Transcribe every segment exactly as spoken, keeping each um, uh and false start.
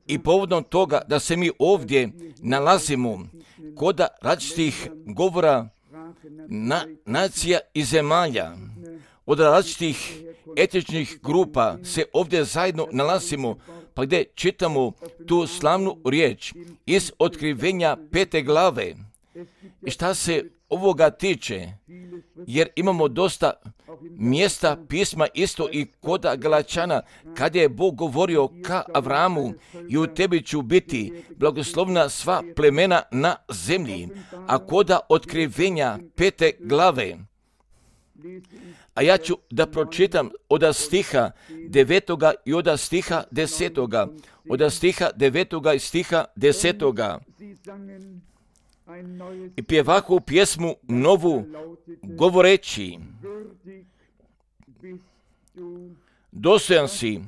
I povodom toga da se mi ovdje nalazimo kod različitih govora na, nacija i zemalja, od različitih etičnih grupa se ovdje zajedno nalazimo, pa gdje čitamo tu slavnu riječ iz Otkrivenja pete glave. I šta se ovoga tiče, jer imamo dosta mjesta pisma isto i kod Galačana, kad je Bog govorio ka Avramu, i u tebi ću biti blagoslovna sva plemena na zemlji, a kod Otkrivenja pete glave. A ja ću da pročitam od stiha devetoga i od stiha desetoga, od stiha devetoga i stiha desetoga. I pjevahu pjesmu novu govoreći: dostojan si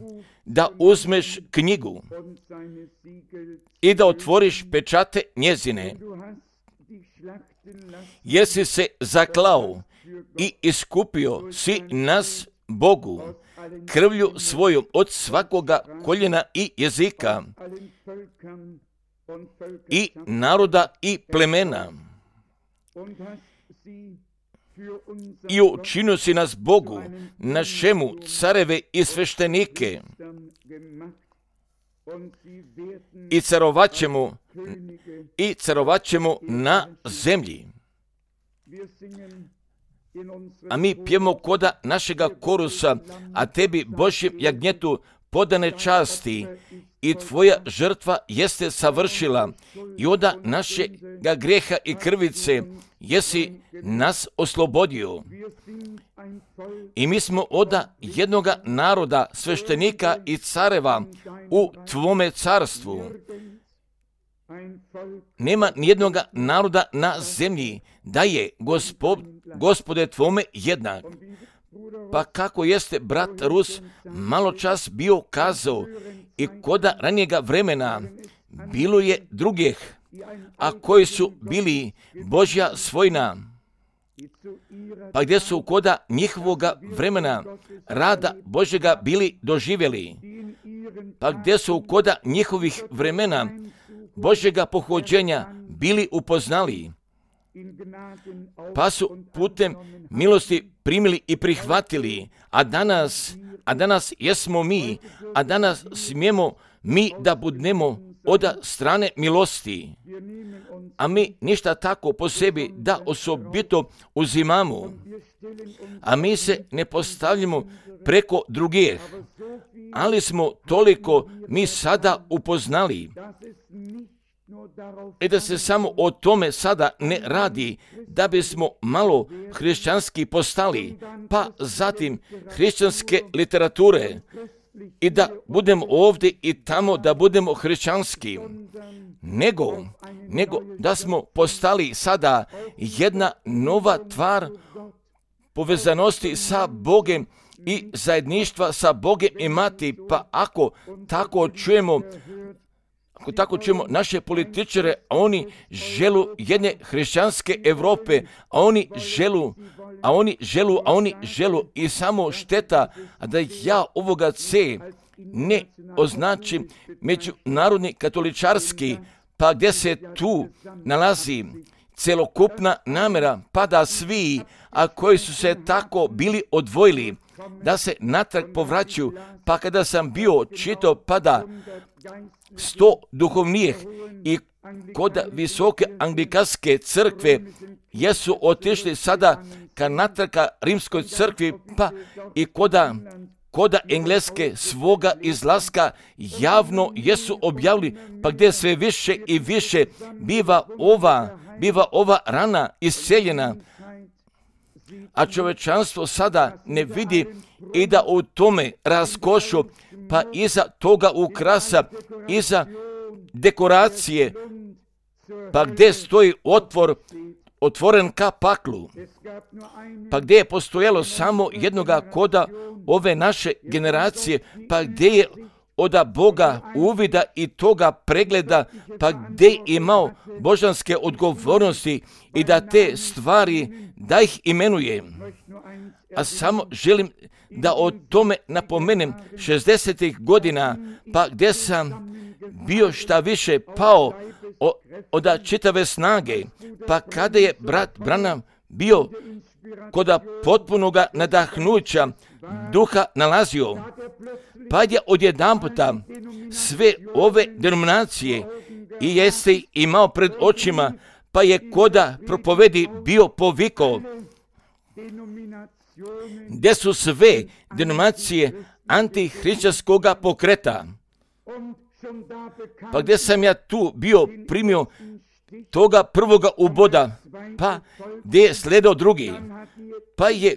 da uzmeš knjigu i da otvoriš pečate njezine, jer si se zaklao i iskupio si nas Bogu krvlju svojom od svakoga koljena i jezika i naroda i plemena. I učinio si nas Bogu, našemu careve i sveštenike, i carovaćemo, i carovaćemo na zemlji. A mi pjemo koda našega korusa, a tebi, Božjem jagnjetu, podane časti, i tvoja žrtva jeste savršila, i oda našega greha i krvice jesi nas oslobodio. I mi smo oda jednoga naroda, sveštenika i careva u tvome carstvu. Nema nijednoga naroda na zemlji da je gospod, Gospode tvome jednak. Pa kako jeste brat Rus malo čas bio kazao, i koda ranijega vremena bilo je drugih, a koji su bili Božja svojina, pa gdje su koda njihovoga vremena rada Božjega bili doživjeli, pa gdje su koda njihovih vremena Božjega pohođenja bili upoznali, pa su putem milosti primili i prihvatili, a danas, a danas jesmo mi, a danas smijemo mi da budemo od strane milosti, a mi ništa tako po sebi da osobito uzimamo, a mi se ne postavljamo preko drugih, ali smo toliko mi sada upoznali, i da se samo o tome sada ne radi, da bismo malo hrišćanski postali, pa zatim hrišćanske literature, i da budemo ovdje i tamo da budemo hrišćanski, nego, nego da smo postali sada jedna nova tvar povezanosti sa Bogem i zajedništva sa Bogem imati. Pa ako tako čujemo, ako tako čujemo naše političare, a oni želu jedne hrišćanske Europe, a oni želu, a oni želu, a oni želu i samo šteta, a da ja ovoga C ne označim međunarodni katoličarski, pa gdje se tu nalazi celokupna namjera, pa da svi, a koji su se tako bili odvojili, da se natrag povraćaju, pa kada sam bio čitao, pa da sto duhovnijih i kod visoke anglikanske crkve jesu otišli sada ka natraka rimskoj crkvi, pa i koda, koda engleske svoga izlaska javno jesu objavili, pa gdje sve više i više biva ova, biva ova rana isceljena, a čovečanstvo sada ne vidi i da u tome raskošu, pa iza toga ukrasa, iza dekoracije, pa gdje stoji otvor, otvoren ka paklu, pa gdje je postojalo samo jednoga koda ove naše generacije, pa gdje je oda Boga uvida i toga pregleda, pa gdje je imao božanske odgovornosti i da te stvari, da ih imenuje. A samo želim da o tome napomenem šezdesetih godina, pa gdje sam bio šta više pao od čitave snage, pa kada je brat Branham bio kod potpunoga nadahnuća duha nalazio, pa je odjedanputa sve ove denominacije i jeste imao pred očima, pa je koda propovedi bio povikao, gdje su sve denominacije antihrišćanskoga pokreta. Pa gdje sam ja tu bio primio toga prvoga uboda, pa gdje je sledao drugi, pa je,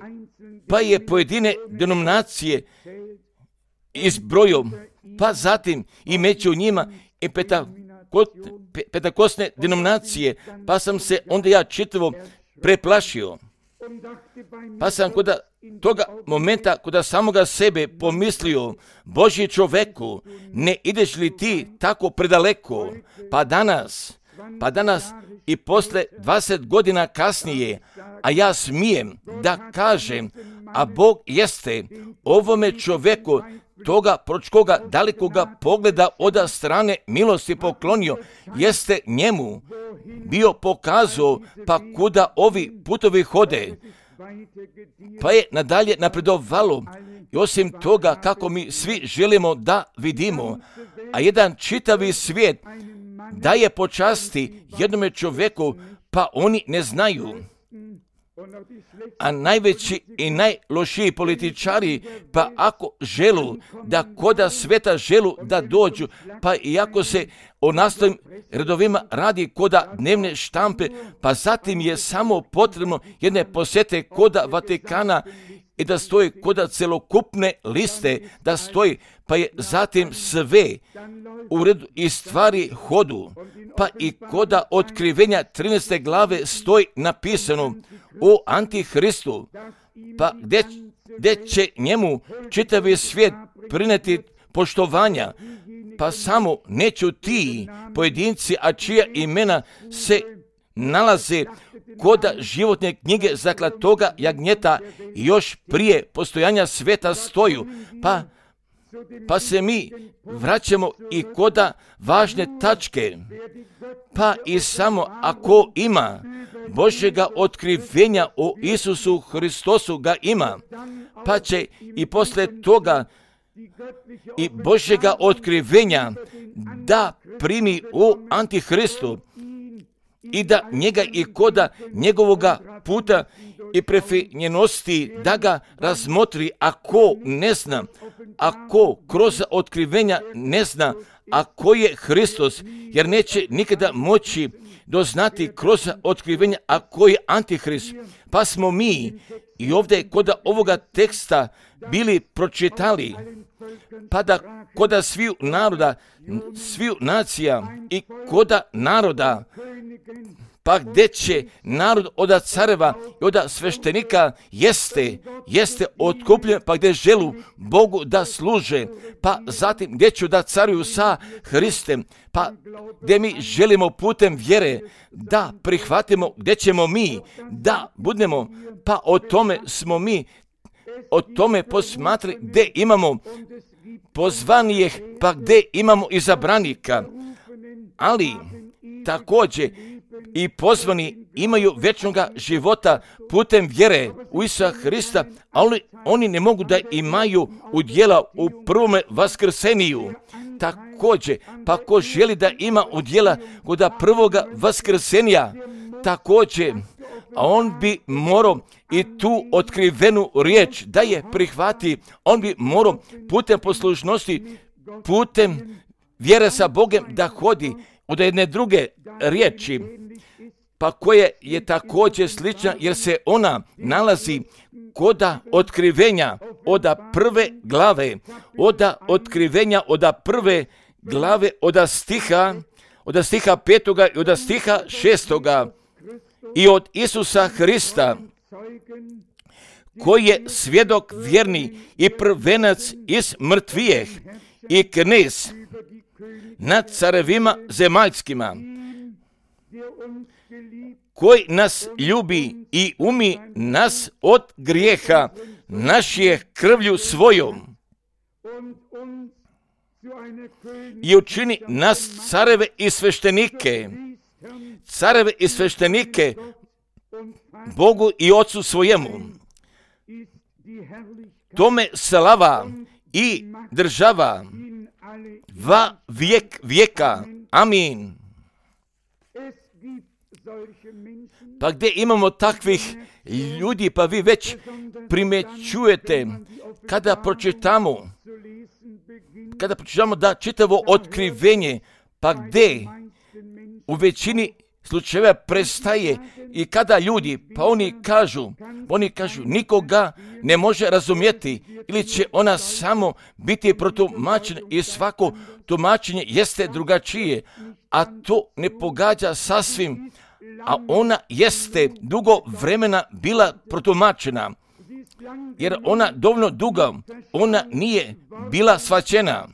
pa je pojedine denominacije izbrojio, pa zatim i među njima i petakosne denominacije, pa sam se onda ja čitavo preplašio. Pa sam kod toga momenta, kod samoga sebe pomislio, Božji čoveku, ne ideš li ti tako predaleko? Pa danas, pa danas i posle dvadeset godina kasnije, a ja smijem da kažem, a Bog jeste ovome čoveku toga pročkoga dalekoga pogleda od strane milosti poklonio, jeste njemu bio pokazao pa kuda ovi putovi hode, pa je nadalje napredovalo. I osim toga kako mi svi želimo da vidimo, a jedan čitavi svijet daje počasti jednome čovjeku, pa oni ne znaju. A najveći i najlošiji političari, pa ako želu da koda sveta želu da dođu, pa iako se o nastavnim redovima radi koda dnevne štampe, pa zatim je samo potrebno jedne posjete koda Vatikana i da stoji koda celokupne liste, da stoji, pa je zatim sve u redu i stvari hodu, pa i koda otkrivenja trinaeste glave stoji napisano o Antihristu, pa gdje, gdje će njemu čitavi svijet prineti poštovanja, pa samo neću ti pojedinci, a čija imena se nalaze koda životne knjige zaklatoga jagnjeta još prije postojanja sveta stoju, pa Pa se mi vraćamo i koda važne tačke, pa i samo ako ima Božjega otkrivenja o Isusu Hristosu ga ima, pa će i posle toga i Božjega otkrivenja da primi o Antihristu i da njega i koda njegovoga puta i prefinjenosti da ga razmotri, ako ne zna, ako kroz otkrivenja ne zna, a ko je Hristos, jer neće nikada moći doznati kroz otkrivenja, a ko je Antihrist. Pa smo mi i ovdje kod ovoga teksta bili pročitali, pa da koda sviju naroda, sviju nacija i koda naroda, pa gdje će narod od careva i od sveštenika jeste, jeste otkupljen, pa gdje želu Bogu da služe, pa zatim gdje ću da caruju sa Hristem, pa gdje mi želimo putem vjere da prihvatimo, gdje ćemo mi da budemo, pa o tome smo mi, o tome posmatri gdje imamo pozvanijeh, pa gdje imamo izabranika, ali također i pozvani imaju vječnoga života putem vjere u Isusa Hrista, ali oni ne mogu da imaju udjela u prvome vaskrseniju. Također, pa ko želi da ima udjela kod prvoga vaskrsenja, također, a on bi morao i tu otkrivenu riječ da je prihvati, on bi morao putem poslušnosti, putem vjere sa Bogem da hodi od jedne druge riječi, pa koja je također slična, jer se ona nalazi koda otkrivenja od prve glave, od otkrivenja od prve glave, od stiha, od stiha petoga i od stiha šestoga, i od Isusa Hrista, koji je svjedok vjerni i prvenac iz mrtvijeh i knez nad carevima zemaljskima, koji nas ljubi i umi nas od grijeha naš je krvlju svojom i učini nas careve i sveštenike, careve i sveštenike Bogu i Ocu svojemu. Tome slava i država va vijek vijeka. Amin. Pa gdje imamo takvih ljudi, pa vi već primjećujete kada pročitamo, kada pročitamo da čitavo otkrivenje, pa gdje u većini slučajeva prestaje i kada ljudi, pa oni kažu, oni kažu nikoga ne može razumjeti ili će ona samo biti protumačena i svako tumačenje jeste drugačije, a to ne pogađa sasvim, a ona jeste dugo vremena bila protumačena, jer ona dovoljno dugo, ona nije bila shvaćena.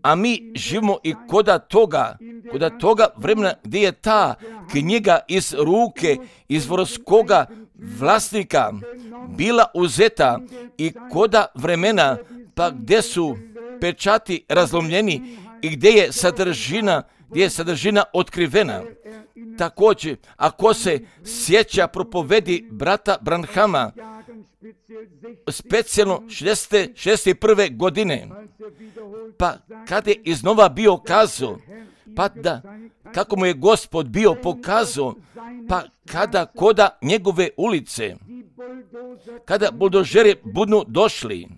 A mi živimo i koda toga, koda toga vremena gdje je ta knjiga iz ruke izvorskoga vlasnika bila uzeta i koda vremena, pa gdje su pečati razlomljeni i gdje je sadržina, gdje je sadržina otkrivena. Također, ako se sjeća propovedi brata Branhama, specijalno šezdeset šezdeset prve godine, pa kada je iznova bio kazao, pa da, kako mu je Gospod bio pokazao, pa kada koda njegove ulice, kada buldožeri budu došli,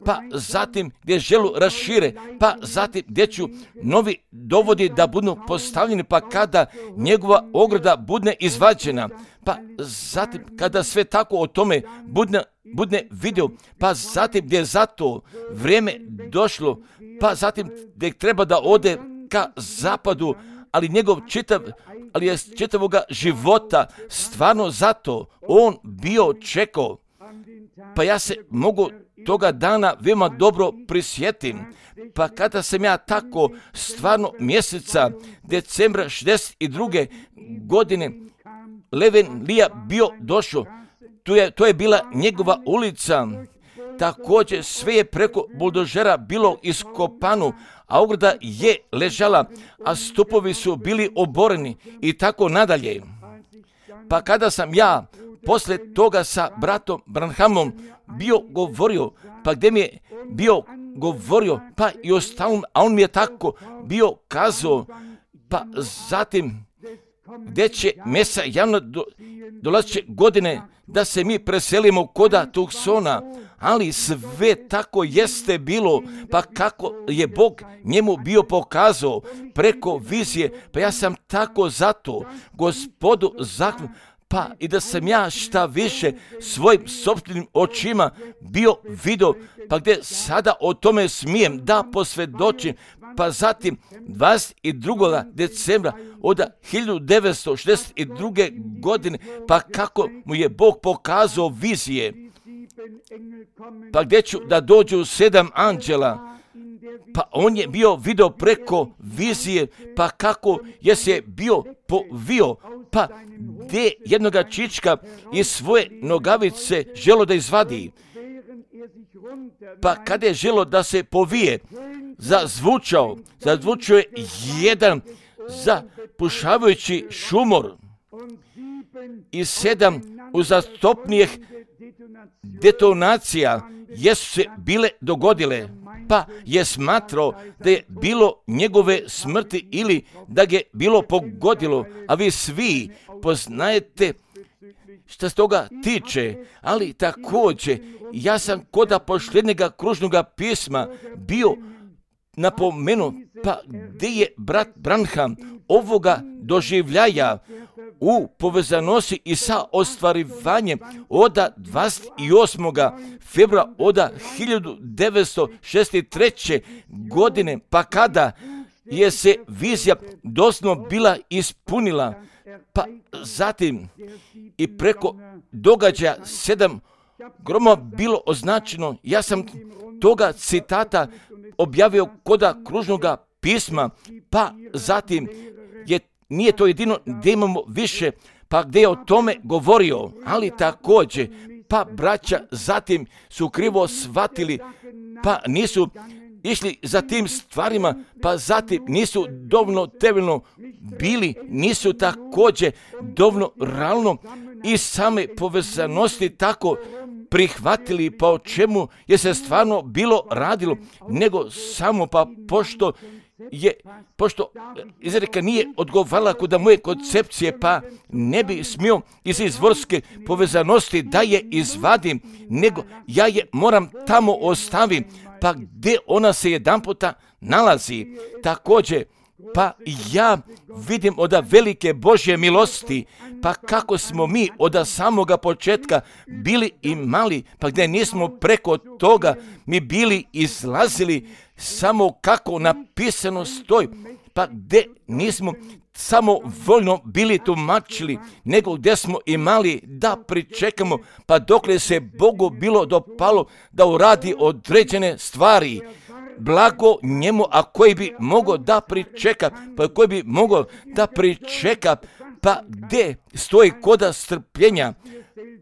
pa zatim gdje želu rašire, pa zatim gdje ću novi dovodi da budu postavljeni, pa kada njegova ograda bude izvađena, pa zatim kada sve tako o tome budne, budne vidio, pa zatim gdje je za to vrijeme došlo, pa zatim gdje treba da ode ka zapadu, ali njegov čitav, ali je čitavoga života stvarno zato on bio čekao. Pa ja se mogu toga dana veoma dobro prisjetim, pa kada sam ja tako stvarno mjeseca decembra šezdeset druge godine Leven Lija bio došao, to je, to je bila njegova ulica, također sve je preko buldožera bilo iskopano, a ograda je ležala, a stupovi su bili oboreni i tako nadalje. Pa kada sam ja posle toga sa bratom Branhamom bio govorio, pa gdje mi je bio govorio, pa i ostalom, a on mi je tako bio kazao, pa zatim gdje će mesa javno do, dolazeće godine da se mi preselimo koda Tucsona, ali sve tako jeste bilo, pa kako je Bog njemu bio pokazao preko vizije, pa ja sam tako zato Gospodu zakljao, pa i da sam ja šta više svojim sopstvenim očima bio vidio, pa gdje sada o tome smijem da posvjedočim, pa zatim dvadeset drugog decembra od hiljadu devetsto šezdeset druge godine, pa kako mu je Bog pokazao vizije, pa gdje ću da dođu sedam anđela, pa on je bio vidio preko vizije, pa kako je se bio povio, pa gdje jednoga čička iz svoje nogavice želo da izvadi, pa kada je želo da se povije, zazvučao, zazvučao je jedan zapušavajući šumor i sedam uzastopnijih detonacija jesu se bile dogodile, pa je smatrao da je bilo njegove smrti ili da ga je bilo pogodilo, a vi svi poznajete što se toga tiče, ali također ja sam koda posljednjega kružnoga pisma bio napomenu, pa gdje je brat Branham ovoga doživljaja u povezanosti i sa ostvarivanjem od dvadeset osmog februara od hiljadu devetsto šezdeset treće godine, pa kada je se vizija doslovno bila ispunila, pa zatim i preko događaja sedam groma bilo označeno. Ja sam toga citata objavio koda kružnoga pisma, pa zatim je, nije to jedino gdje imamo više, pa gdje je o tome govorio, ali također pa braća zatim su krivo shvatili, pa nisu išli za tim stvarima, pa zatim nisu dovoljno temeljno bili, nisu također dovoljno realno i same povezanosti tako prihvatili, pa o čemu je se stvarno bilo radilo, nego samo pa pošto je, pošto izreka nije odgovarala kod moje koncepcije, pa ne bi smio iz izvorske povezanosti da je izvadim, nego ja je moram tamo ostavim, pa gdje ona se jedan puta nalazi. Također, pa ja vidim od velike Božje milosti, pa kako smo mi od samoga početka bili i mali, pa gdje nismo preko toga mi bili izlazili, samo kako napisano stoji, pa gdje nismo samo voljno bili tumačili, nego gdje smo imali da pričekamo, pa dokle se Bogu bilo dopalo da uradi određene stvari. Blago njemu, a koji bi mogao da pričeka, pa koji bi mogao da pričeka, pa gdje stoji koda strpljenja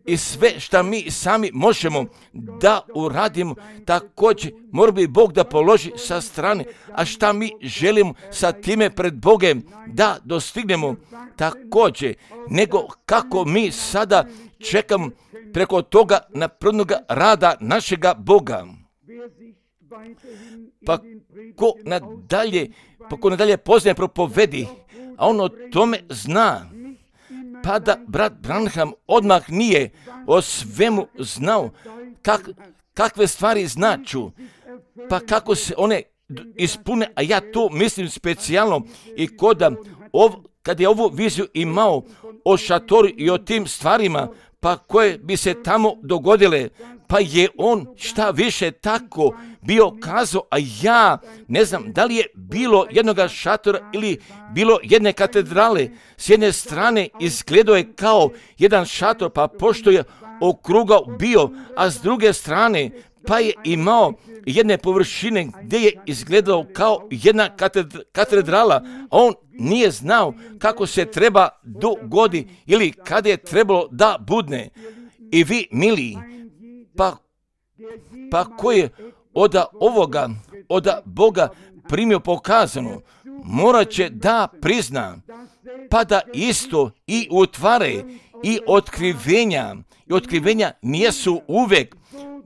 i sve što mi sami možemo da uradimo, također mora bi Bog da položi sa strane, a šta mi želimo sa time pred Bogem da dostignemo također, nego kako mi sada čekamo preko toga napravnoga rada našega Boga. Pa ko nadalje, pa ko nadalje poznaje propovedi, a on o tome zna, pa da brat Branham odmah nije o svemu znao kak, kakve stvari značu, pa kako se one ispune, a ja to mislim specijalno i koda, ov, kad je ovu viziju imao o šatoru i o tim stvarima, pa koje bi se tamo dogodile, pa je on šta više tako bio kazao, a ja ne znam da li je bilo jednoga šatora ili bilo jedne katedrale. S jedne strane izgledao je kao jedan šator, pa pošto je okrugao bio, a s druge strane pa je imao jedne površine gdje je izgledao kao jedna katedrala, a on nije znao kako se treba dogodi ili kada je trebalo da budne. I vi, mili, pa, pa ko je od ovoga, od Boga primio pokazano, morat će da prizna, pa da isto i utvare i otkrivenja, i otkrivenja nijesu uvek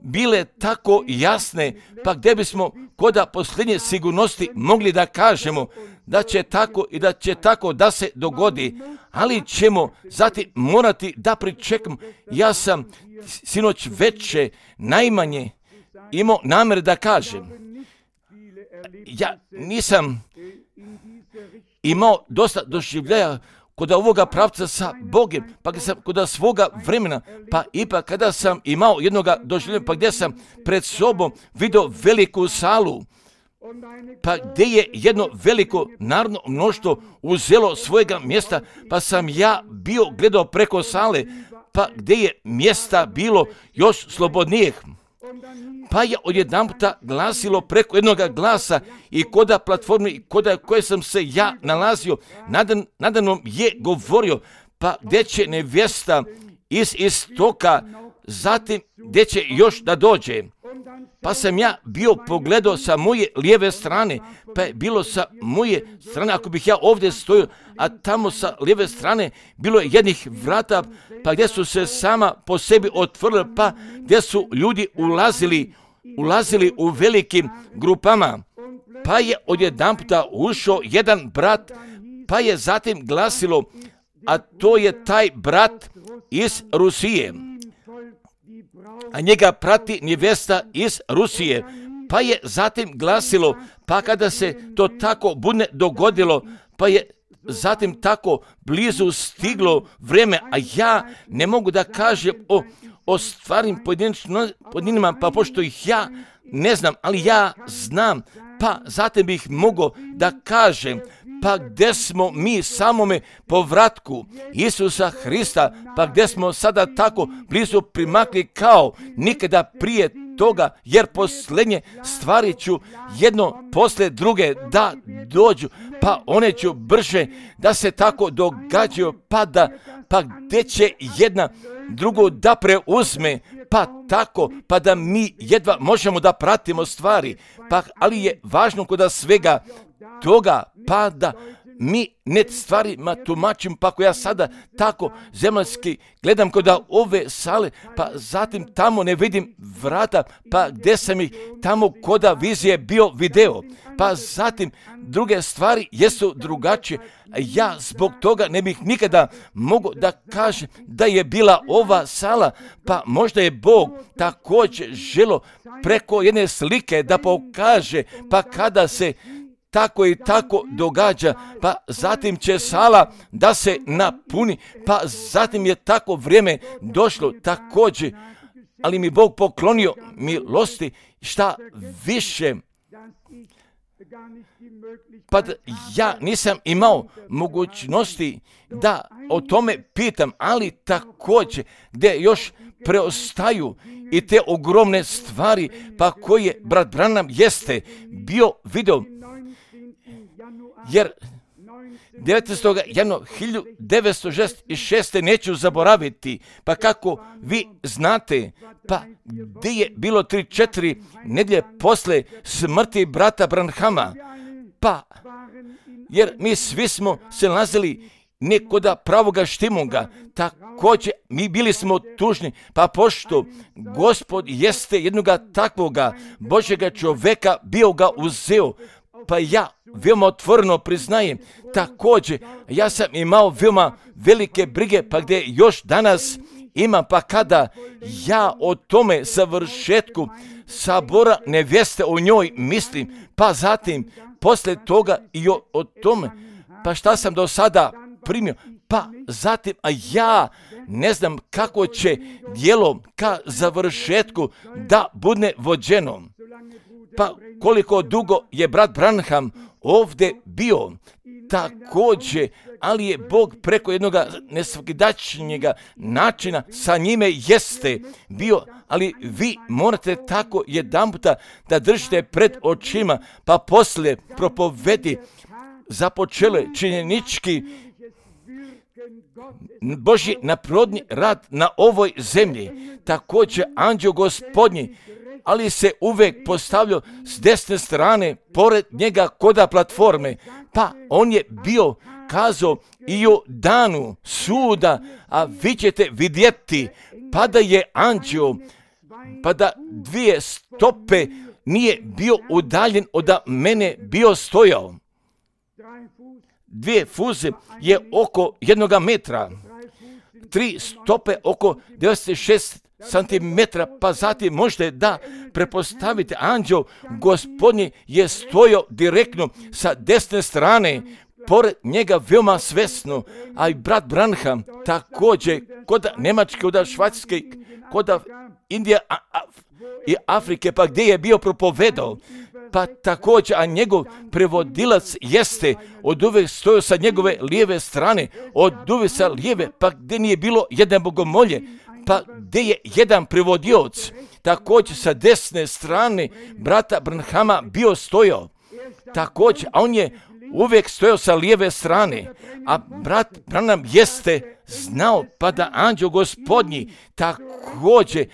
bile tako jasne, pa gdje bismo koda posljednje sigurnosti mogli da kažemo da će tako i da će tako da se dogodi, ali ćemo zatim morati da pričekamo. Ja sam sinoć veče najmanje imao namjer da kažem, ja nisam imao dosta doživljaja kod ovoga pravca sa Bogem, pa kada sam kod svoga vremena, pa ipak kada sam imao jednoga doživljaja, pa gdje sam pred sobom vidio veliku salu, pa gdje je jedno veliko narodno mnoštvo uzelo svojega mjesta, pa sam ja bio gledao preko sale, pa gdje je mjesta bilo još slobodnijih. Pa je odjedanputa glasilo preko jednoga glasa i koda platforme i koda koje sam se ja nalazio, nadan, nadanom je govorio, pa gdje će nevjesta iz istoka, zatim gdje će još da dođe. Pa sam ja bio pogledao sa moje lijeve strane, pa je bilo sa moje strane, ako bih ja ovdje stojio, a tamo sa lijeve strane bilo je jednih vrata, pa gdje su se sama po sebi otvorili, pa gdje su ljudi ulazili, ulazili u velikim grupama. Pa je odjedanputa ušao jedan brat, pa je zatim glasilo, a to je taj brat iz Rusije, a njega prati nevjesta iz Rusije. Pa je zatim glasilo, pa kada se to tako budne dogodilo, pa je zatim tako blizu stiglo vrijeme, a ja ne mogu da kažem o, o stvarnim pojedinima, pa pošto ih ja ne znam, ali ja znam, pa zatim bih mogao da kažem, pa gdje smo mi samome povratku Isusa Hrista, pa gdje smo sada tako blizu primakli kao nikada prije toga, jer posljednje stvari ću jedno posle druge da dođu, pa one ću brže da se tako događaju, pa da, pa gdje će jedna drugo da preuzme, pa tako, pa da mi jedva možemo da pratimo stvari, pa, ali je važno kod svega toga, pa da mi ne stvarima tumačim, pa ako ja sada tako zemaljski gledam kod ove sale, pa zatim tamo ne vidim vrata, pa gdje sam ih tamo kod vizije bio video, pa zatim druge stvari jesu drugačije. Ja zbog toga ne bih nikada mogu da kažem da je bila ova sala, pa možda je Bog također želo preko jedne slike da pokaže, pa kada se tako i tako događa, pa zatim će sala da se napuni, pa zatim je tako vrijeme došlo također, ali mi Bog poklonio milosti šta više, pa ja nisam imao mogućnosti da o tome pitam, ali također gdje još preostaju i te ogromne stvari, pa koje brat Branham jeste bio video, jer devetnaestog januara hiljadu devetsto šezdeset šeste. neću zaboraviti, pa kako vi znate, pa gdje je bilo tri četiri nedjelje posle smrti brata Branhama, pa jer mi svi smo se nalazili nekoda pravoga štimunga, također mi bili smo tužni, pa pošto Gospod jeste jednoga takvoga Božjega čovjeka bio ga uzeo, pa ja veoma otvoreno priznajem, također ja sam imao veoma velike brige, pa gdje još danas imam, pa kada ja o tome savršetku sabora nevjeste o njoj mislim, pa zatim poslije toga i o, o tome, pa šta sam do sada primio, pa zatim, a ja ne znam kako će djelo ka završetku da bude vođeno. Pa koliko dugo je brat Branham ovdje bio, također, ali je Bog preko jednog nesvakidašnjega načina sa njime jeste bio, ali vi morate tako jedanputa da držite pred očima, pa poslije propovedi započele činjenički Božji naprodni rad na ovoj zemlji, također anđeo Gospodnji, ali se uvek postavljao s desne strane pored njega koda platforme, pa on je bio kazao i o danu suda, a vi ćete vidjeti pa da je anđeo, pa da dvije stope nije bio udaljen od mene bio stojao. Dvije fuze je oko jednoga metra, tri stope oko devedeset šest santimetra, pa zatim možete da prepostavite, anđeo Gospodnji je stojao direktno sa desne strane, pored njega veoma svesno, a i brat Branham također kod Njemačke, kod Švajcarske, kod Indije a, a, i Afrike, pa gdje je bio propovedao, pa također, a njegov prevodilac jeste od uvek stojao sa njegove lijeve strane, od uvek sa lijeve, pa gdje nije bilo jedne bogomolje, pa gdje je jedan prevodioc, također sa desne strane brata Branhama bio stojao, također, a on je uvijek stojao sa lijeve strane, a brat Branham jeste znao, pa da anđeo Gospodnji također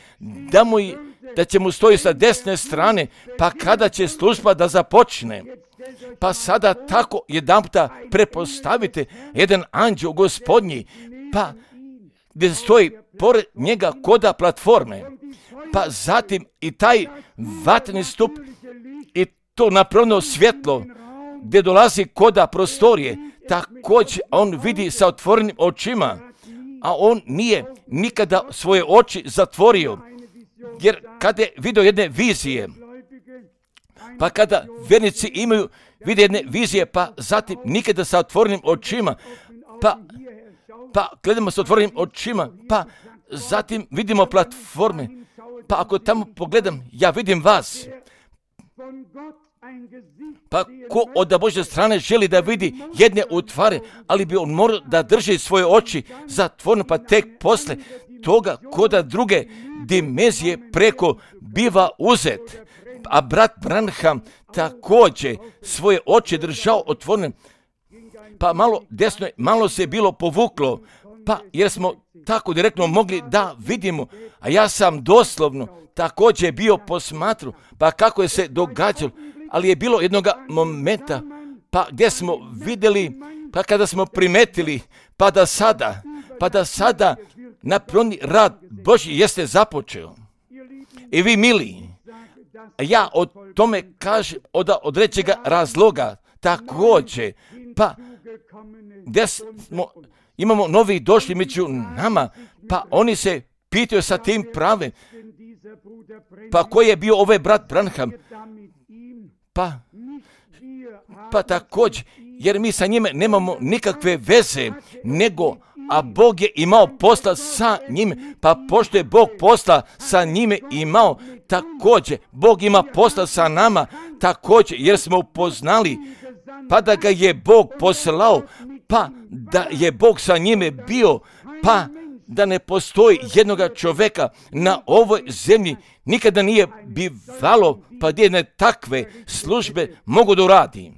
da mu da će mu stoji sa desne strane, pa kada će služba da započne. Pa sada tako jedanputa prepostavite jedan anđeo Gospodnji, pa gdje stoji pored njega koda platforme, pa zatim i taj vatreni stup i to napravno svjetlo gdje dolazi koda prostorije, također on vidi sa otvorenim očima, a on nije nikada svoje oči zatvorio, jer kada je vidio jedne vizije, pa kada vjernici imaju vide jedne vizije, pa zatim nikada sa otvorenim očima, pa, pa gledamo sa otvorenim očima, pa zatim vidimo platforme, pa ako tamo pogledam, ja vidim vas. Pa ko od Božje strane želi da vidi jedne utvare, ali bi on morao da drži svoje oči zatvorene, pa tek posle toga koda druge dimenzije preko biva uzet. A brat Branham također svoje oči držao otvorene, pa malo desno, malo se bilo povuklo, Pa jer smo tako direktno mogli da vidimo, a ja sam doslovno također bio posmatru, pa kako je se događalo, ali je bilo jednoga momenta, pa gdje smo vidjeli, pa kada smo primetili, pa da sada, pa da sada napravni rad Božji jeste započeo. I vi mili, ja o tome kažem od određega razloga, također, pa gdje smo, imamo novi došli među nama, pa oni se pitaju sa tim pravem, pa koji je bio ovaj brat Branham, pa, pa također, jer mi sa njime nemamo nikakve veze, nego, a Bog je imao posla sa njime, pa pošto je Bog posla sa njime imao, također, Bog ima posla sa nama, također, jer smo upoznali, pa da ga je Bog poslao, pa da je Bog sa njime bio, pa da ne postoji jednoga čovjeka na ovoj zemlji, nikada nije bivalo, pa gdje ne takve službe mogu da uradi.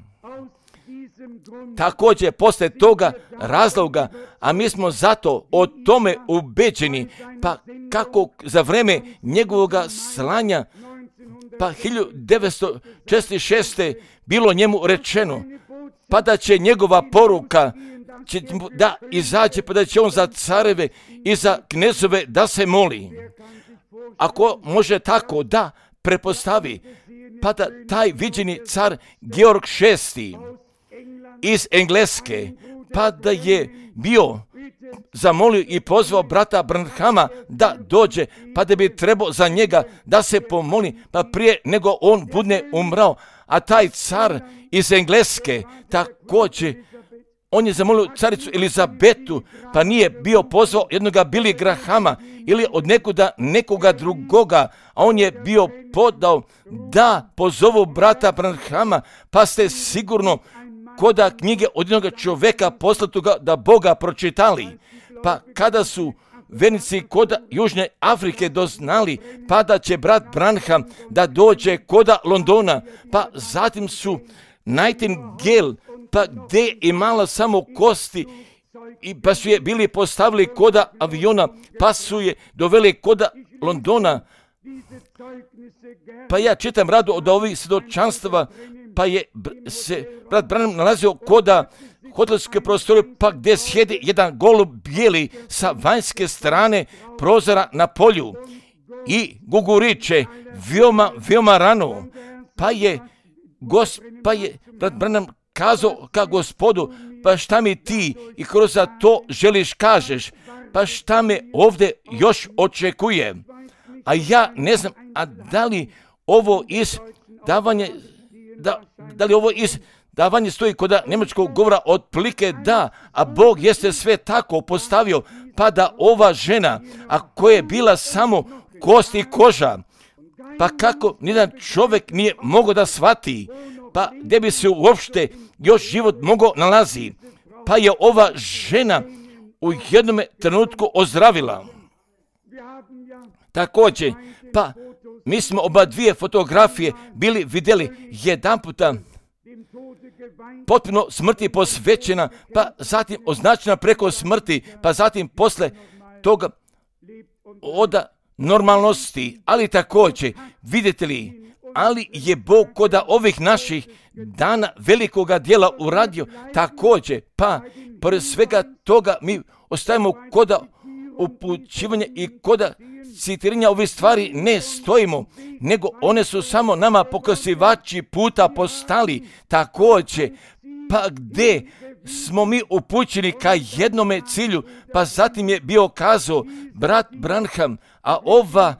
Također, posle toga razloga, a mi smo zato o tome ubeđeni, pa kako za vreme njegovoga slanja, pa hiljadu devetsto četrdeset šeste bilo njemu rečeno, pa da će njegova poruka će da izađe, pa da će on za careve i za knezove da se moli. Ako može tako da prepostavi, pa da taj viđeni car Georg šesti iz Engleske, pa da je bio zamolio i pozvao brata Branhama da dođe, pa da bi trebao za njega da se pomoli, pa prije nego on bude umrao. A taj car iz Engleske također, on je zamolio caricu Elizabetu, pa nije bio pozvao jednoga Billy Grahama ili od nekuda nekoga drugoga, a on je bio podao da pozovu brata Branhama, pa ste sigurno koda knjige od jednoga čovjeka poslatuga da Boga pročitali. Pa kada su vernici koda Južne Afrike doznali, pa da će brat Branham da dođe koda Londona, pa zatim su Nightingale, pa gdje je imala samo kosti, i pa su je bili postavili koda aviona, pa su je doveli koda Londona. Pa ja čitam rado od ovih svjedočanstava, pa je se brat Branham nalazio koda hotelske prostore, pa gdje sjedi jedan golub bijeli sa vanjske strane prozora na polju i guguriće veoma, veoma rano, pa je, gos, pa je brat Branham kazao ka Gospodu, pa šta mi ti i kroz to želiš kažeš, pa šta me ovdje još očekuje. A ja ne znam, a da li ovo iz davanje, da, da li ovo iz davanje stoji kod njemačkog govora otprilike da, a Bog jeste sve tako postavio, pa da ova žena, a koja je bila samo kost i koža, pa kako nijedan čovjek nije mogao da shvati, pa gdje bi se uopšte još život mogao nalazi, pa je ova žena u jednom trenutku ozdravila. Također, pa mi smo oba dvije fotografije bili vidjeli jedan puta potpuno smrti posvećena, pa zatim označena preko smrti, pa zatim posle toga oda normalnosti, ali također, vidite li, ali je Bog koda ovih naših dana velikoga dijela uradio također, pa pored svega toga mi ostajemo koda upućivanja i koda citiranja ovih stvari ne stojimo, nego one su samo nama pokazivači puta postali također, pa gdje smo mi upućeni ka jednome cilju, pa zatim je bio kazao brat Branham, a ova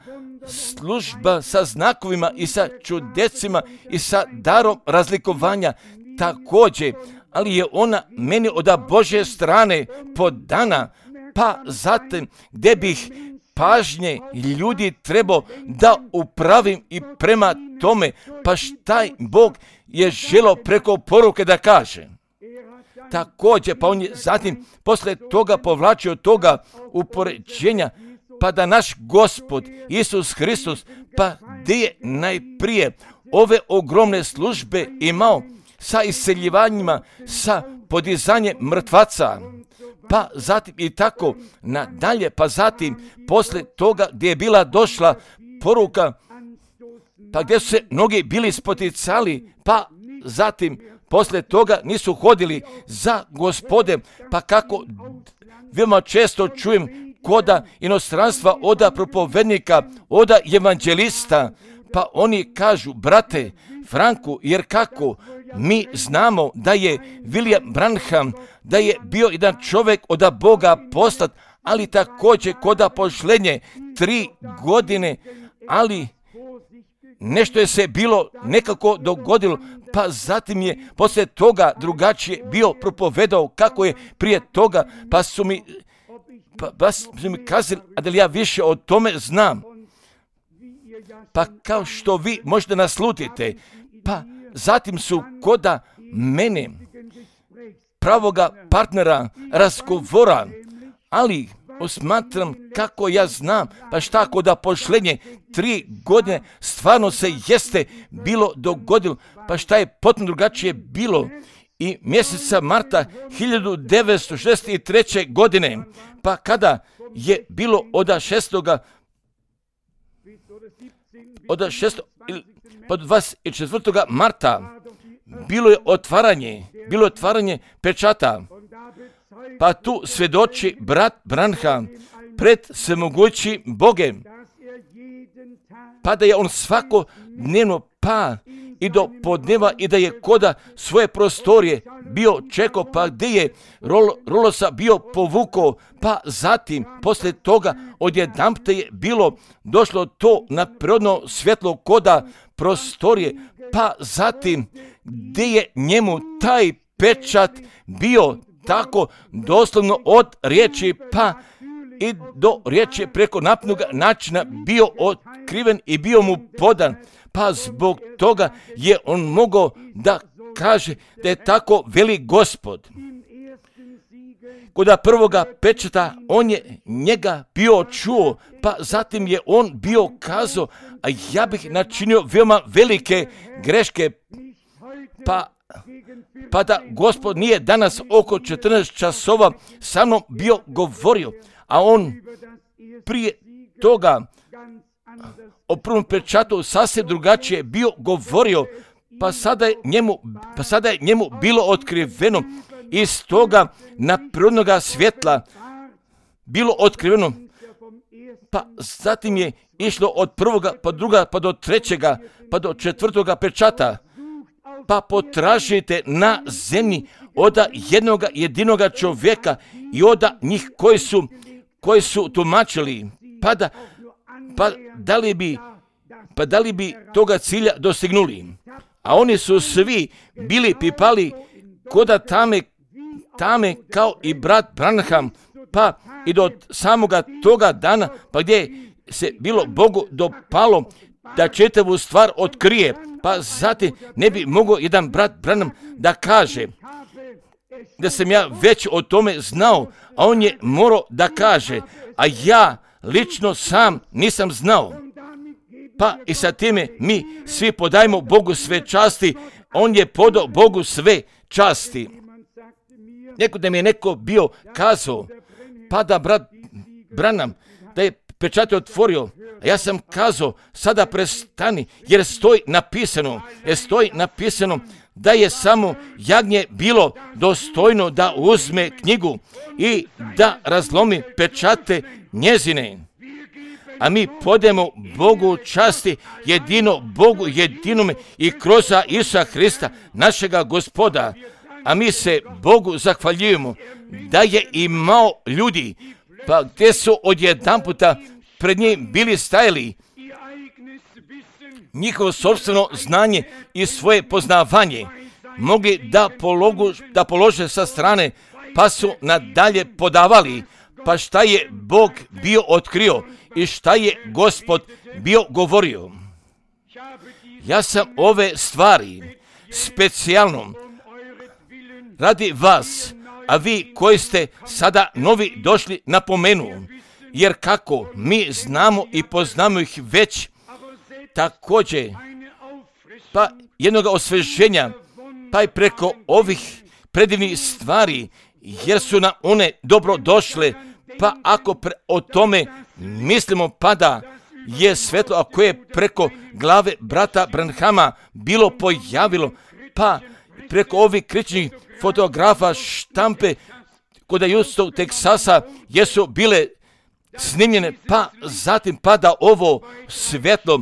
služba sa znakovima i sa čudesima i sa darom razlikovanja također, ali je ona meni od Božje strane podana, pa zatim gdje bih pažnje ljudi trebao da upravim i prema tome, pa šta Bog je želio preko poruke da kaže. Također, pa on je zatim posle toga povlačio toga upoređenja, pa da naš Gospod Isus Hristos, pa gdje je najprije ove ogromne službe imao sa iseljivanjima, sa podizanjem mrtvaca, pa zatim i tako nadalje, pa zatim posle toga gdje je bila došla poruka, pa gdje su se mnogi bili spoticali, pa zatim posle toga nisu hodili za Gospodem, pa kako veoma često čujem koda inostranstva, oda propovednika, oda evanđelista, pa oni kažu, brate Franku, jer kako mi znamo da je William Branham, da je bio jedan čovjek od Boga poslat, ali također koda pošlenje tri godine, ali nešto je se bilo nekako dogodilo, pa zatim je poslije toga drugačije bio propovedao kako je prije toga, pa su mi, pa, pa su mi kazali, a da li ja više o tome znam. Pa kao što vi možete naslutite, pa zatim su koda mene, pravoga partnera, razgovora, ali osmatram kako ja znam, pa šta koda pošlenje tri godine stvarno se jeste bilo dogodilo, pa šta je potpuno drugačije bilo i mjeseca marta hiljadu devetsto šezdeset treće. godine, pa kada je bilo od šestoga od šestog pa do dvadeset četvrtog marta bilo je otvaranje, bilo je otvaranje pečata, pa tu svjedoči brat Branham pred svemogućim Bogem, pa da je on svakodnevno pa i do podneva i da je koda svoje prostorije bio čekao, pa gdje je rol, rolosa bio povukao, pa zatim poslije toga odjedanput je bilo došlo to na prirodno svjetlo koda prostorije, pa zatim gdje je njemu taj pečat bio tako doslovno od riječi pa i do riječi preko napnog načina bio otkriven i bio mu podan, pa zbog toga je on mogao da kaže da je tako veli Gospod. Kod prvoga pečata on je njega bio čuo, pa zatim je on bio kazao, a ja bih načinio veoma velike greške, pa pa da Gospod nije danas oko četrnaest časova sa mnom bio govorio, a on prije toga o prvom pečatu sasvim drugačije bio govorio, pa sada je njemu, pa sada je njemu bilo otkriveno iz toga naprednoga svjetla bilo otkriveno, pa zatim je išlo od prvoga pa druga pa do trećega pa do četvrtoga pečata. Pa potražite na zemlji od jednoga jedinoga čovjeka i od njih koji su, koji su tumačili, pa da, pa da li bi, pa da li bi toga cilja dostignuli. A oni su svi bili pipali koda tame, tame kao i brat Branham, pa i do samoga toga dana, pa gdje se bilo Bogu dopalo da čitavu stvar otkrije, pa zatim ne bi mogao jedan brat Branham da kaže da sam ja već o tome znao, a on je morao da kaže, a ja lično sam nisam znao. Pa i sa time mi svi podajemo Bogu sve časti, on je podao Bogu sve časti. Neko da mi je neko bio kazao, pa da brat Branham, da je pečat otvorio, a ja sam kazao, sada prestani, jer stoji napisano, jer stoji napisano da je samo jagnje bilo dostojno da uzme knjigu i da razlomi pečate njezine. A mi podajemo Bogu časti, jedino Bogu jedinome i kroz Isusa Hrista, našega Gospoda. A mi se Bogu zahvaljujemo da je imao ljudi, pa gdje su odjedanputa pred njim bili stajali njihovo sopstveno znanje i svoje poznavanje mogli da, pologu, da polože sa strane, pa su nadalje podavali, pa šta je Bog bio otkrio i šta je Gospod bio govorio. Ja sam ove stvari specijalno radi vas, a vi koji ste sada novi došli napomenu, jer kako mi znamo i poznamo ih već, također, pa jednog osveženja, pa i preko ovih predivnih stvari, jer su nam one dobro došle. Pa ako pre, o tome mislimo, pa da je svetlo, a koje je preko glave brata Branhama bilo pojavilo, pa preko ovih kričnih fotografa štampe kod Houston, Teksasa, jesu bile snimljene, pa zatim pada ovo svjetlo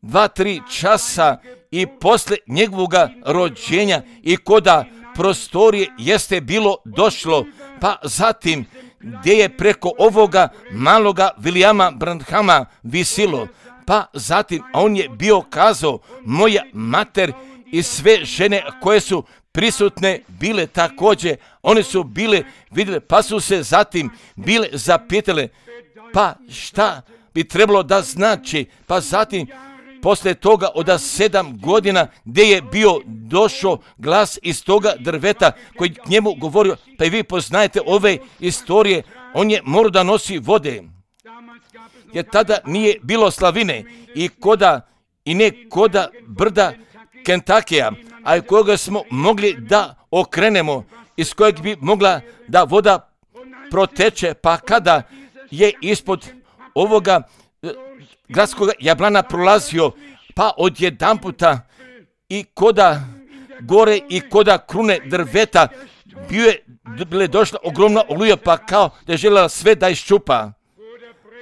dva, tri časa i posle njegovoga rođenja i koda prostorije jeste bilo došlo, pa zatim gdje je preko ovoga maloga Williama Branhama visilo, pa zatim on je bio kazao, moja mater i sve žene koje su prisutne bile također, one su bile vidjele, pa su se zatim bile zapitale, pa šta bi trebalo da znači, pa zatim poslije toga od sedam godina gdje je bio došao glas iz toga drveta koji k njemu govorio, pa i vi poznajete ove istorije, on je morao da nosi vode, jer tada nije bilo slavine i koda i ne koda brda Kentakija, a koga smo mogli da okrenemo, iz kojeg bi mogla da voda proteče, pa kada je ispod ovoga gradskog jablana prolazio, pa odjedanputa i koda gore i koda krune drveta bio je bile došla ogromna oluja, pa kao da je željela sve da iščupa.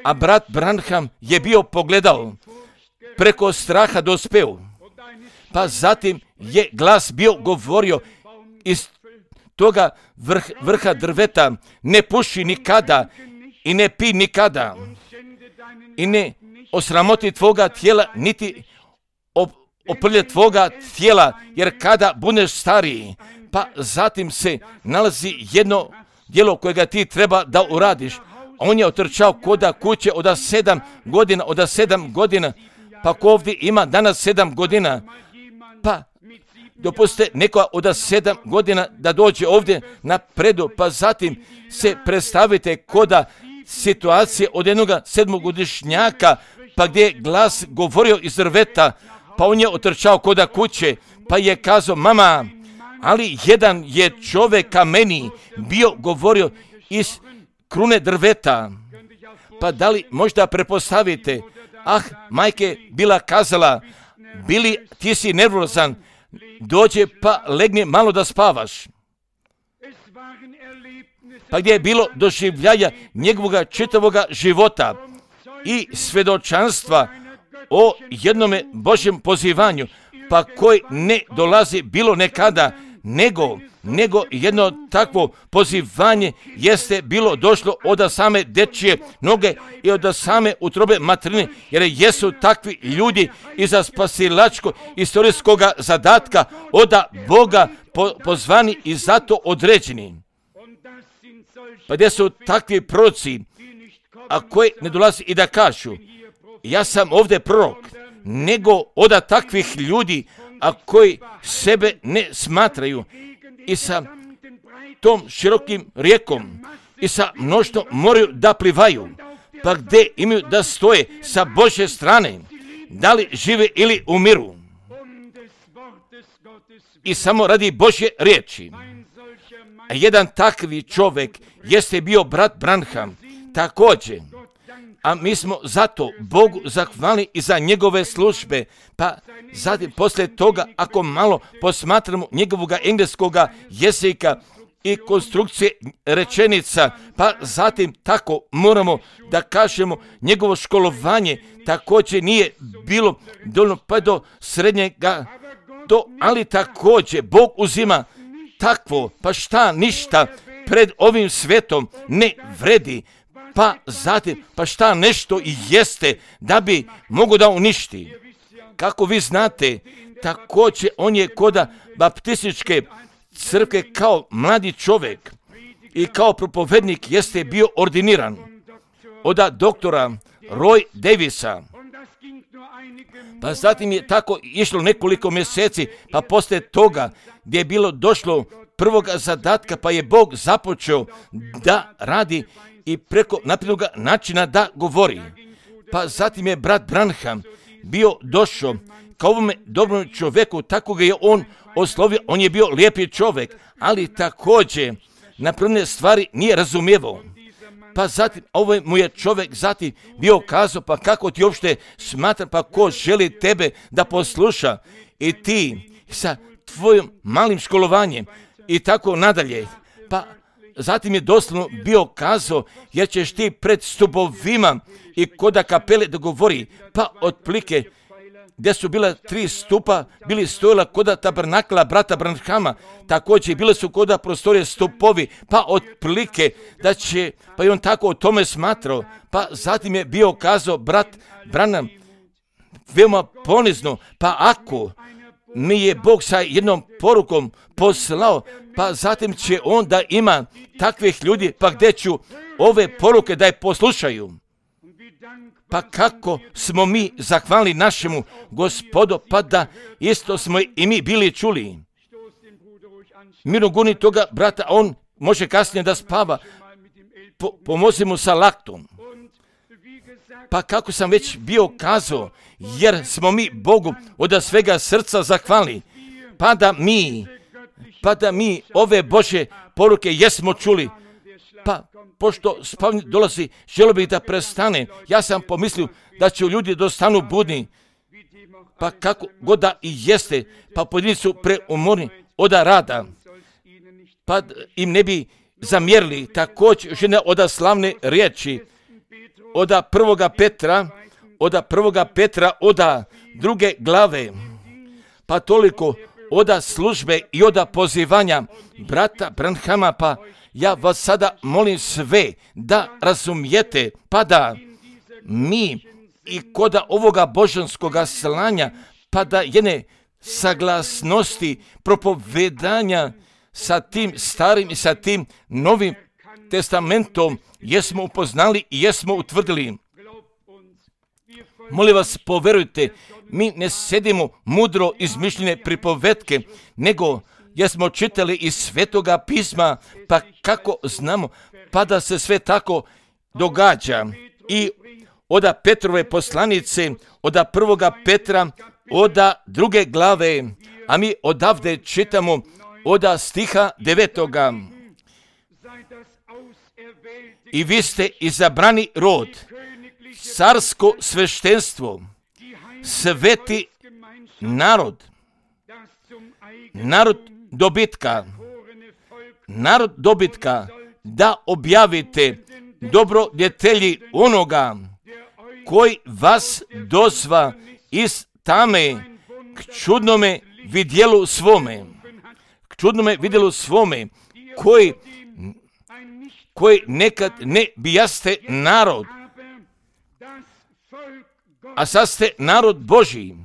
A brat Branham je bio pogledao, preko straha dospeo, pa zatim je glas bio govorio iz toga vrh, vrha drveta, ne puši nikada i ne pi nikada i ne osramoti tvoga tijela, niti oprlje tvoga tijela, jer kada budeš stariji, pa zatim se nalazi jedno djelo kojega ti treba da uradiš. On je otrčao koda kuće od sedam godina, od sedam godina, pa ko ovdje ima danas sedam godina, pa dopustite neko od sedam godina da dođe ovdje na predu, pa zatim se predstavite koda situacije od jednog sedmogodišnjaka, pa gdje je glas govorio iz drveta, pa on je otrčao koda kuće, pa je kazao, mama, ali jedan je čovjek ka meni bio govorio iz krune drveta. Pa da li možda prepostavite, ah, majke bila kazala, bili ti si nervozan, dođe pa legne malo da spavaš. Pa gdje je bilo doživljaja njegovoga čitavoga života i svedočanstva o jednome Božjem pozivanju, pa koji ne dolazi bilo nekada, nego, nego jedno takvo pozivanje jeste bilo došlo od same dečije noge i od same utrobe materine, jer jesu takvi ljudi iza spasilačkog istorijskog zadatka od Boga po, pozvani i zato određeni. Pa gdje su takvi proroci, a koji ne dolazi i da kažu, ja sam ovdje prorok, nego od takvih ljudi, a koji sebe ne smatraju i sa tom širokim rijekom i sa mnoštvom moraju da plivaju, pa gdje imaju da stoje sa Božje strane, da li žive ili umiru i samo radi Božje riječi. A jedan takvi čovjek jeste bio brat Branham također, a mi smo zato Bogu zahvalni i za njegove službe, pa zatim poslije toga ako malo posmatramo njegovog engleskog jezika i konstrukcije rečenica, pa zatim tako moramo da kažemo njegovo školovanje također nije bilo dovoljno pa do srednjega, do, ali također Bog uzima takvo, pa šta ništa pred ovim svetom ne vredi, pa zatim, pa šta nešto i jeste da bi mogo da uništi. Kako vi znate, također on je koda baptističke crkve kao mladi čovjek i kao propovednik jeste bio ordiniran od doktora Roy Davisa. Pa zatim je tako išlo nekoliko mjeseci, pa poslije toga gdje je bilo došlo prvog zadatka, pa je Bog započeo da radi i preko naprednog načina da govori. Pa zatim je brat Branham bio došao kao ovome dobrom čovjeku, tako ga je on oslovio, on je bio lijepi čovjek, ali također napravljene stvari nije razumijevao. Pa zatim, ovaj mu je čovjek zatim bio kazao, pa kako ti uopšte smatra, pa ko želi tebe da posluša i ti sa tvojim malim školovanjem i tako nadalje. Pa zatim je doslovno bio kazao, jer ćeš ti pred stupovima i koda kapele da govori, pa otplike gdje su bila tri stupa, bili stojila koda tabernakla brata Branhama, također bile su koda prostorije stupovi, pa otplike da će, pa i on tako o tome smatrao, pa zatim je bio kazao brat Branham, veoma ponizno, pa ako mi je Bog sa jednom porukom poslao, pa zatim će on da ima takvih ljudi, pa gdje ću ove poruke da je poslušaju. Pa kako smo mi zahvalni našemu Gospodu, pa da isto smo i mi bili čuli. Mirno guni toga brata, on može kasnije da spava, po, pomozi mu sa laktom. Pa kako sam već bio kazao, jer smo mi Bogu od svega srca zahvalni, pa da mi, pa da mi ove Božje poruke jesmo čuli, pa pošto spavanje dolazi, želio bih da prestane. Ja sam pomislio da će ljudi dostanu budni, pa kako god da i jeste, pa pojedini su preumorni od rada, pa im ne bi zamjerili. Također još jedna od slavne riječi, od prvoga Petra, od prvoga Petra, od druge glave, pa toliko od službe i od pozivanja brata Branhama, pa ja vas sada molim sve da razumijete, pa da mi i kod ovoga božanskoga slanja, pa da jedne saglasnosti propovedanja sa tim starim i sa tim novim testamentom jesmo upoznali i jesmo utvrdili. Molim vas, poverujte, mi ne sedimo mudro izmišljene pripovetke, nego jesmo čitali iz Svetoga pisma, pa kako znamo, pa da se sve tako događa. I od Petrove poslanice, od prvoga Petra, od druge glave, a mi odavde čitamo od stiha devetoga. I vi ste izabrani rod, carsko sveštenstvo, sveti narod, narod dobitka, narod dobitka, da objavite dobrodjetelji onoga koji vas dozva iz tame k čudnome vidjelu svome, k čudnome vidjelu svome, koji, koji nekad ne bijaste narod, a sad ste narod Božji,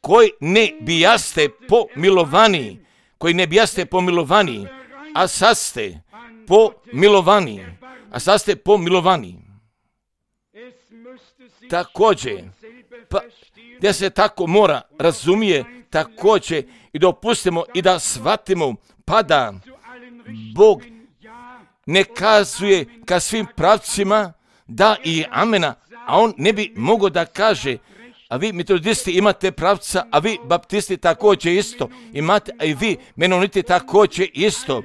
koji ne bijaste pomilovani, koji ne bijaste pomilovani, a sad ste pomilovani, a sad ste pomilovani. Također, pa gdje se tako mora razumije, također i dopustimo i da shvatimo, pa da Bog ne kazuje ka svim pravcima da i amena, a on ne bi mogao da kaže, a vi metodisti imate pravca, a vi baptisti također isto imate, a i vi menoniti također isto.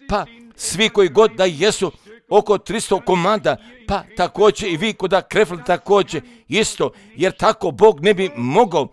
Pa svi koji god da jesu oko tristo komada, pa također i vi kod Krefl također isto, jer tako Bog ne bi mogao.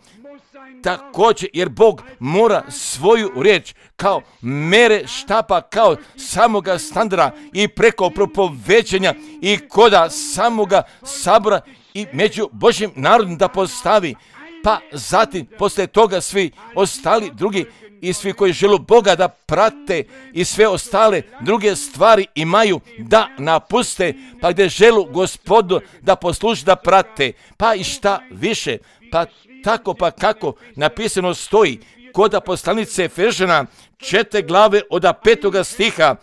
Također, jer Bog mora svoju riječ kao mere štapa, kao samoga standarda i preko propoveđenja i koda samoga sabora i među Božjim narodom da postavi. Pa zatim, poslije toga svi ostali drugi i svi koji žele Boga da prate i sve ostale druge stvari imaju da napuste, pa gdje želu Gospodu da posluži da prate, pa i šta više, pa tako pa kako napisano stoji kod poslanice Efežana četiri glave od petoga stiha,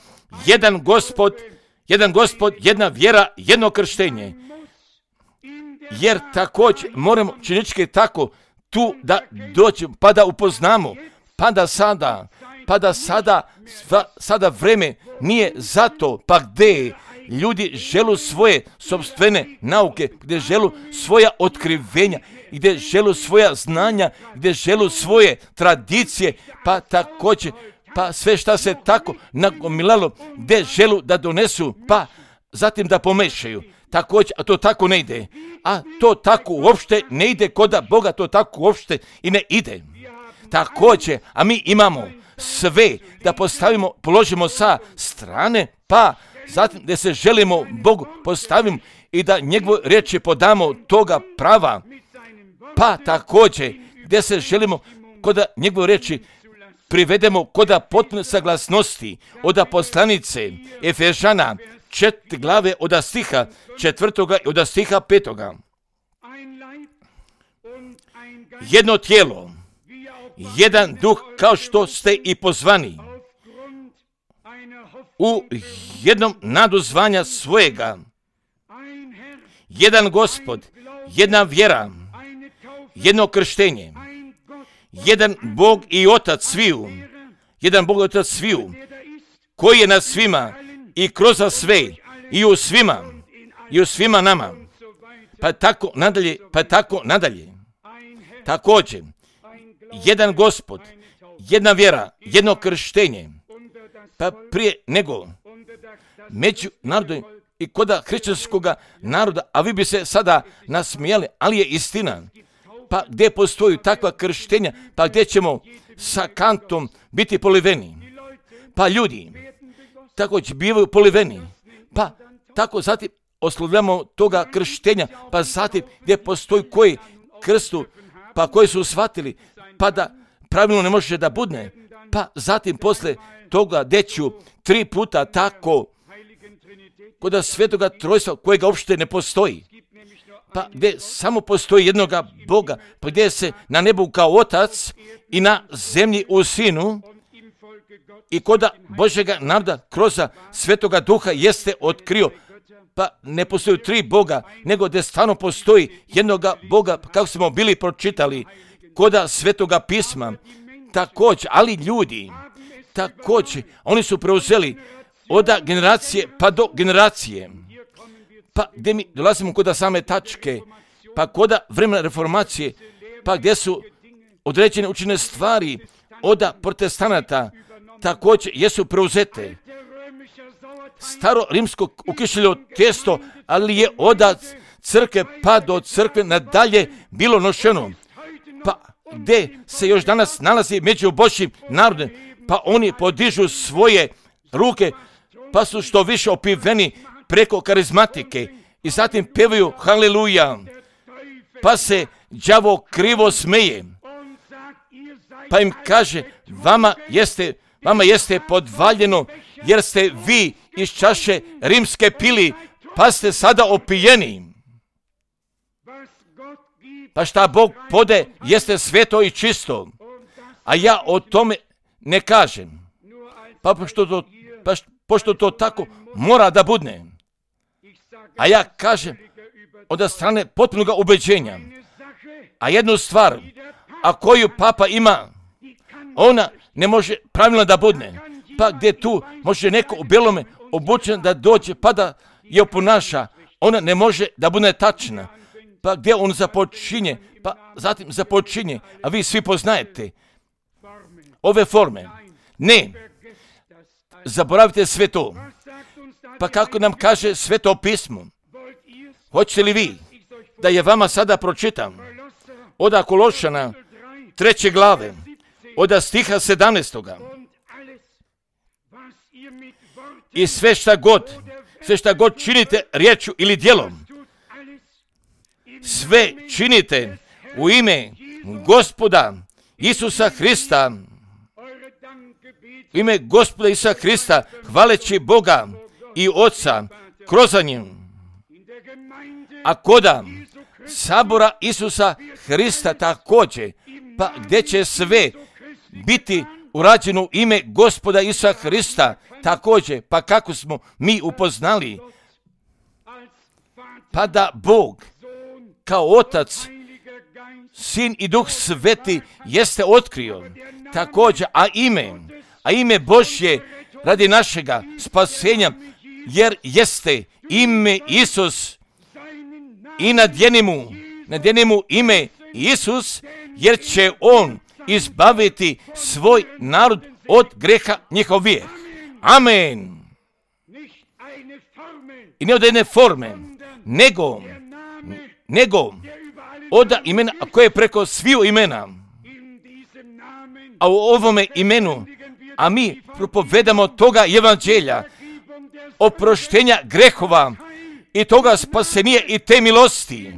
jedan Gospod, jedan Gospod, jedna vjera, jedno krštenje. Jer također moramo činički tako tu da dođemo, pa da upoznamo, pa da sada, pa da sada, sada vreme nije zato, pa gdje ljudi želu svoje sopstvene nauke, gdje želu svoja otkrivenja, gdje želu svoja znanja, gdje želu svoje tradicije, pa također pa sve šta se tako nagomilalo, gdje želu da donesu, pa zatim da pomešaju. Također, a to tako ne ide. A to tako uopšte ne ide koda Boga, to tako uopšte i ne ide. Također, a mi imamo sve da postavimo, položimo sa strane, pa zatim da se želimo Bogu postavimo i da njegove riječi podamo toga prava, pa također gdje se želimo koda njegove riječi privedemo koda potpune saglasnosti od poslanice Efežana četiri glave od stiha četvrtoga i od stiha petoga. Jedno tijelo, jedan duh, kao što ste i pozvani u jednom nadu zvanja svojega, jedan Gospod, jedna vjera, jedno krštenje, jedan Bog i Otac sviju, jedan Bog i Otac sviju, koji je nad svima i kroz sve i u svima i u svima nama, pa tako nadalje, pa tako nadalje. Također, jedan Gospod, jedna vjera, jedno krštenje, pa prije nego među narodom i koda hrišćanskoga naroda, a vi bi se sada nasmijali, ali je istina. Pa gdje postoji takva krštenja, pa gdje ćemo sa kantom biti poliveni. Pa ljudi također bivaju poliveni, pa tako zatim oslovljamo toga krštenja, pa zatim gdje postoji koji krstu, pa koji su shvatili, pa da pravilno ne može da budne, pa zatim posle toga deću tri puta tako kod svetoga trojstva kojega uopšte ne postoji, pa gdje samo postoji jednoga Boga, pa gdje se na nebu kao Otac i na zemlji u Sinu i koda Božjega naroda kroz svetoga duha jeste otkrio, pa ne postoji tri Boga, nego gdje stvarno postoji jednoga Boga, kako smo bili pročitali koda svetoga pisma. Također, ali ljudi, također, oni su preuzeli od generacije pa do generacije, pa gdje mi dolazimo koda same tačke, pa koda vremena reformacije, pa gdje su određene učine stvari od protestanata, također jesu preuzete. Staro rimsko ukišljeno testo, ali je od crkve pa do crkve nadalje bilo nošeno. Pa gdje se još danas nalazi među Božjim narodom, pa oni podižu svoje ruke, pa su što više opiveni preko karizmatike i zatim pevaju haleluja, pa se đavo krivo smeje, pa im kaže vama jeste, vama jeste podvaljeno jer ste vi iz čaše rimske pili, pa ste sada opijeni. Pa šta Bog pode jeste sveto i čisto, a ja o tome ne kažem, pa pošto to, pa pošto to tako mora da budne. A ja kažem od strane potpunog ubeđenja, a jednu stvar, a koju papa ima, ona ne može pravilno da budne, pa gdje tu može neko u belome obučen da dođe pa da je oponaša, ona ne može da bude tačna, pa gdje on započinje, pa zatim započinje, a vi svi poznajete ove forme. Ne, zaboravite sve to. Pa kako nam kaže Sveto pismo, hoćete li vi da je vama sada pročitam od Kološana treće glave, od stiha sedamnaestoga. I sve šta god, sve šta god činite riječju ili djelom, sve činite u ime Gospoda Isusa Hrista, u ime Gospoda Isusa Hrista, hvaleći Boga i Oca kroz njim. A koda sabora Isusa Hrista također, pa gdje će sve biti urađeno u ime Gospoda Isusa Hrista također, pa kako smo mi upoznali, pa da Bog kao Otac, Sin i Duh Sveti jeste otkrio također, a ime, a ime Božje radi našega spasenja, jer jeste ime Isus i nadjenimo, nadjenimo ime Isus, jer će On izbaviti svoj narod od greha njihov vijek. Amen. I ne od jedne forme, nego, nego od imena koje je preko sviju imena. A u ovome imenu, a mi propovedamo toga evanđelja, oproštenja grehova i toga spasenija i te milosti.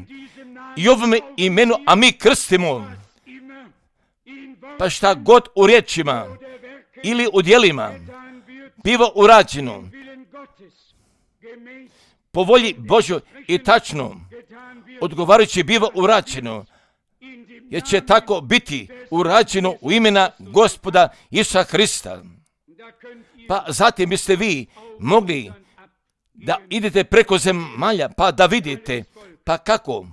I ovome imenu, a mi krstimo. Pa šta god u riječima ili u djelima biva urađeno po volji Božoj i tačno odgovarajući biva urađeno, jer će tako biti urađeno u imena Gospoda Isusa Hrista. Pa zatim biste vi mogli da idete preko zemalja, pa da vidite, pa kako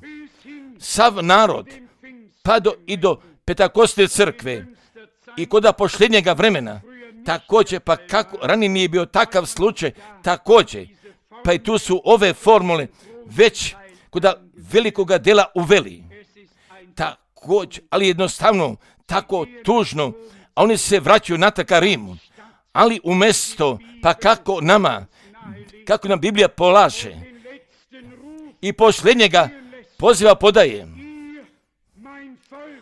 sav narod, pa do, i do Pentakostne crkve i kod posljednjega vremena, također, pa kako ranije nije bio takav slučaj, također, pa i tu su ove formule već kod velikoga dela uveli. Također, ali jednostavno, tako tužno, a oni se vraćaju natrag ka Rimu. Ali umjesto, pa kako nama, kako nam Biblija polaže i posljednjega poziva podaje.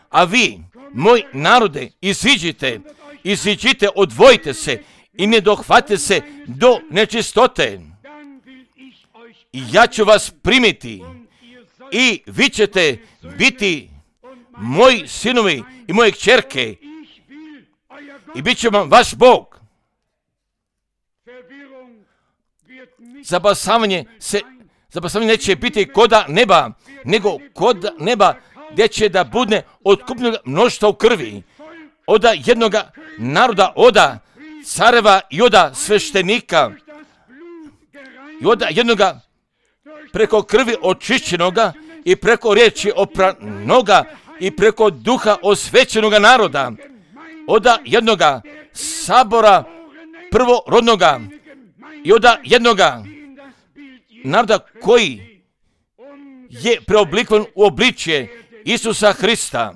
A vi, moj narode, iziđite, iziđite, odvojite se i ne dohvate se do nečistote. I ja ću vas primiti i vi ćete biti moji sinovi i moje kćerke i bit će vam vaš Bog. Zabasavanje se, zabasavanje neće biti koda neba, nego kod neba gdje će da bude otkupnog mnoštva u krvi. Oda jednoga naroda, oda careva i oda sveštenika i oda jednoga preko krvi očišćenoga i preko riječi opranoga i preko duha osvećenoga naroda, oda jednoga sabora prvorodnoga i oda jednoga naroda koji je preoblikovan u obličje Isusa Hrista.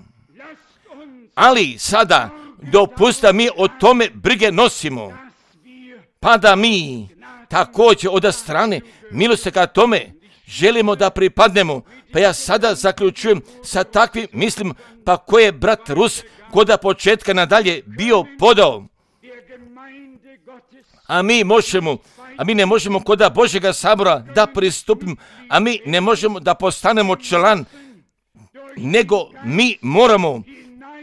Ali sada dopusta mi o tome brige nosimo, pa da mi također od strane milosti ka tome želimo da pripadnemo. Pa ja sada zaključujem sa takvim mislim, pa koje je brat Rus koda početka nadalje bio podao. A mi možemo, a mi ne možemo koda Božjega sabora da pristupimo, a mi ne možemo da postanemo član, nego mi moramo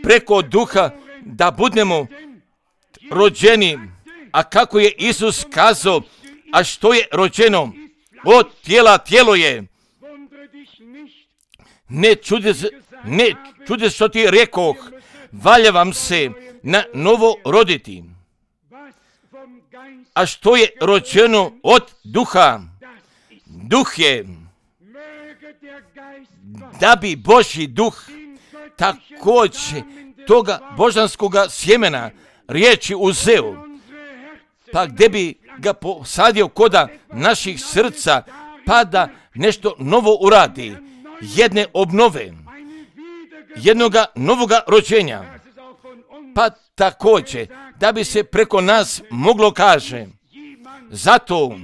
preko duha da budemo rođeni. A kako je Isus kazao, a što je rođeno od tijela, tijelo je. Ne čudi se, ne čudi što ti rekoh, valja vam se na novo roditi. A što je rođeno od duha? Duh je, da bi Božji duh također toga božanskoga sjemena riječi uzeo, pa gdje bi ga posadio koda naših srca, pa da nešto novo uradi, jedne obnove, jednoga novoga rođenja, pa također da bi se preko nas moglo kaže, zato,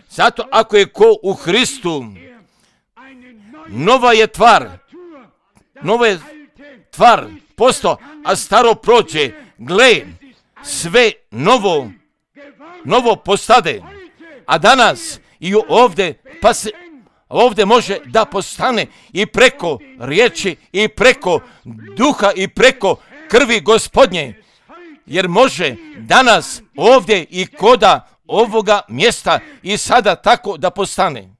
zato ako je ko u Hristu, nova je tvar, nova je tvar posto, a staro prođe, gle, sve novo, novo postade. A danas i ovdje, pa se ovdje može da postane i preko riječi i preko duha i preko krvi Gospodnje, jer može danas ovdje i koda ovoga mjesta i sada tako da postane.